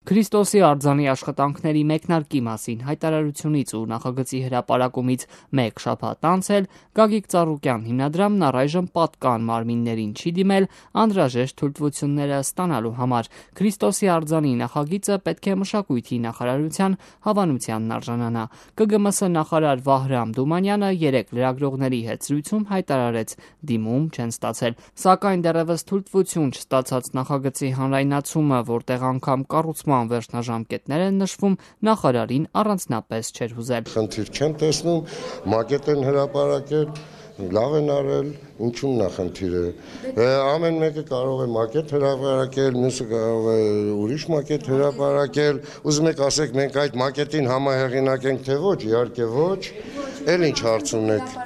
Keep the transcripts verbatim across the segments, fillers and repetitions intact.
Քրիստոսի արձանի աշխատանքների մեկնարկի մասին հայտարարությունից ու նախագծի հրապարակումից մեկ շաբաթ անց էլ Գագիկ Ծառուկյան հիմնադրամն առայժմ պատկան մարմիններին չի դիմել անհրաժեշտ թույլտվությունները ստանալու համար։ Քրիստոսի արձանի նախագիծը պետք է մշակույթի նախարարության հավանությանն արժանանա։ Կը գը մը սը նախարար Վահրամ Դումանյանը երեկ լրագրողների հետ զրույցում հայտարարեց՝ դիմում չեն ստացել, սակայն դեռևս թույլտվություն չստացած նախագծի հանրայնացումը, որտեղ անգամ կառուցման վերջնաժամկետներ են նշվում, նախարարին առանձնապես չէր հուզել։ Խնդիր չեմ տեսնում, մակետ են հրապարակել, լավ են արել, ինչու՞մն է խնդիրը։ Ամեն մեկը կարող է մակետ հրապարակել, մյուսը կարող է ուրիշ մակետ հրապարակել։ Ուզում եք ասեք մենք այդ մակետին համահեղինակ ենք, թե ոչ, իհարկե ոչ, էլ ինչ հարց ունեք։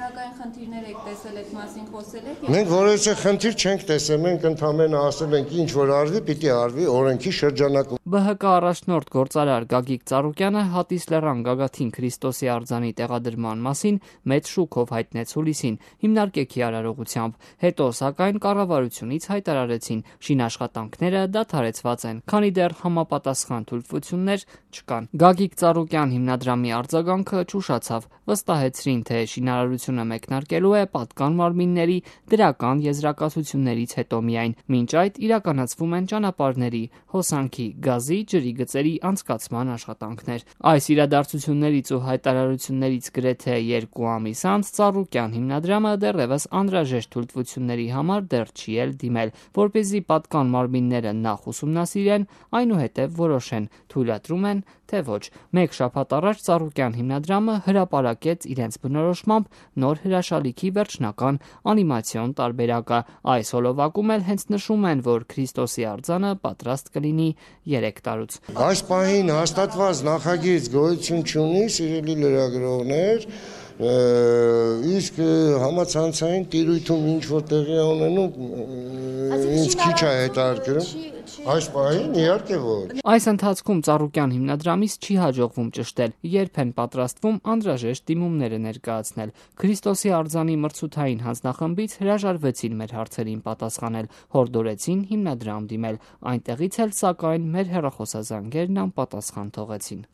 Խնդիրներ եք տեսել, այդ մասին խոսել եք։ Մենք որևէ խնդիր չենք տեսել, մենք ընդհանրապես ասել ենք ինչ որ արվի, պիտի արվի օրենքի շրջանակում։ Բ Հ Կ առաջնորդ գործարար Գագիկ Ծառուկյանը Հատիս լեռան Գագաթին Քրիստոսի արձանի տեղադրման մասին մեծ շուկով հայտնեց հուլիսին հիմնարկեքի արարողությամբ։ Հետո սակայն կառավարությունից հայտարարեցին՝ շինաշխատանքները դադարեցված են, քանի դեռ համապատասխան թույլտվություններ չկան։ Գագիկ Ծառուկյան հիմնադրամի արձագանքը ճուշացավ, վստահեցրին, թե շինարարությունը մեկնարկելու է պատկան մարմինների դրական եզրակացություններից հետո միայն։ Մինչ այդ իրականացվում են ճանապարհների, հոսանքի, գազի, ջրի գծերի անցկացման աշխատանքներ։ Այս իրադարձություններից ու հայտարարություններից գրեթե երկու ամիս անց Ծառուկյան հիմնադրամը դեռևս անհրաժեշտ թույլտվությունների համար դեռ չի էլ դիմել, որպեսզի պատկան մարմինները նախ ուսումնասիրեն, այնուհետև որոշեն՝ թույլատրում են, թե ոչ։ Մեկ շաբաթ առաջ Ծառուկյան հիմնադրամը հրապարակեց իրենց բնորոշմամբ նոր հրաշալիքի վերջնական անիմացիոն տարբերակը։ Այս հոլովակում էլ հենց նշում են, որ Քրիստոսի արձանը պատրաստ կլինի երեք տարուց։ Այս պահին հաստատված նախագիծ գոյություն չունի, սիրելի լրագրողներ, իսկ համացանցային տիրույթում ինչ որ տեղի ունենում, ինձ քիչ է հետաքրքրում։ Այս պահին իհարկե ոչ։ Այս ընթացքում Ծառուկյան հիմնադրամից չի հաջողվում ճշտել, երբ են պատրաստվում անհրաժեշտ դիմումները ներկայացնել։ Քրիստոսի արձանի մրցութային հանձնախմբից հրաժարվեցին մեր հարցերին պատասխանել, հորդորեցին հիմնադրամ դիմել, այնտեղից էլ սակայն մեր հեռախոսազանգերն անպատասխան թողեցին։